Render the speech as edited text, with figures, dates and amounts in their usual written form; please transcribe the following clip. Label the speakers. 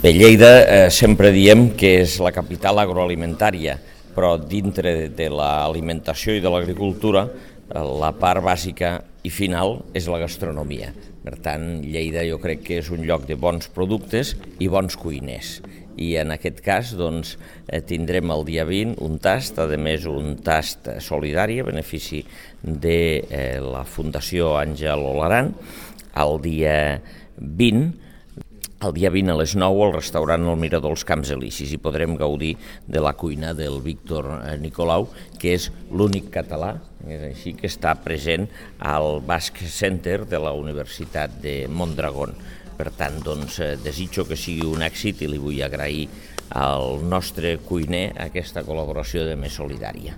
Speaker 1: Bé, Lleida sempre diem que és la capital agroalimentària, però dintre de l'alimentació i de l'agricultura la part bàsica i final és la gastronomia. Per tant, Lleida jo crec que és un lloc de bons productes i bons cuiners. I en aquest cas tindrem el dia 20 un tast, a més un tast solidari a benefici de la Fundació Àngel Olaran. El dia 20 a les 9 al restaurant El Mirador als Camps Elisis i podrem gaudir de la cuina del Víctor Nicolau, que és l'únic català, és així, que està present al Basque Center de la Universitat de Mondragón. Per tant, desitjo que sigui un èxit i li vull agrair al nostre cuiner aquesta col·laboració de més solidària.